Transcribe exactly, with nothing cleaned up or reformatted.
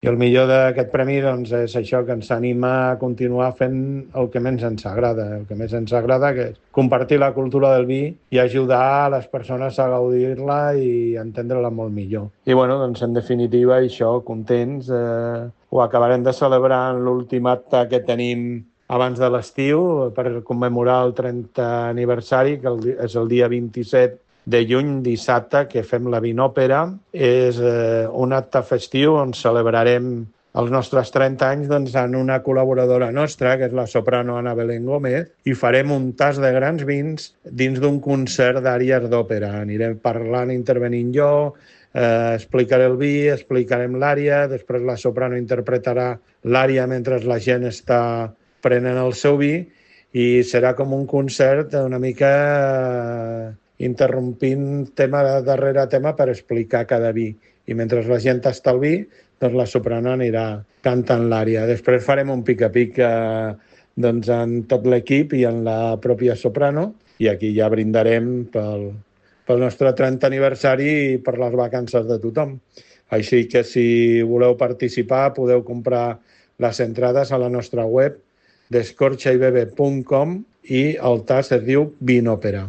I el millor d'aquest premi doncs, és això, que ens anima a continuar fent el que més ens agrada. El que més ens agrada, que és compartir la cultura del vi i ajudar a les persones a gaudir-la i entendre-la molt millor. I bueno, doncs en definitiva, això, contents. Eh, ho acabarem de celebrar en l'últim acte que tenim abans de l'estiu per commemorar el trentè aniversari, que és el dia vint-i-set de juny, dissabte, que fem la Vinòpera. És eh, un acte festiu on celebrarem els nostres trenta anys doncs, en una col·laboradora nostra, que és la soprano Ana Belén Gómez, i farem un tas de grans vins dins d'un concert d'àries d'òpera. Anirem parlant, intervenint jo, eh, explicaré el vi, explicarem l'ària, després la soprano interpretarà l'ària mentre la gent està prenent el seu vi, i serà com un concert una mica eh, interrompint tema darrere tema per explicar cada vi. I mentre la gent està al vi, doncs la soprano anirà cantant l'ària. Després farem un pica-pica doncs, en tot l'equip i en la pròpia soprano, i aquí ja brindarem pel, pel nostre trentè aniversari i per les vacances de tothom. Així que si voleu participar podeu comprar les entrades a la nostra web descorxaibebe punt com i el tas es diu Vinòpera.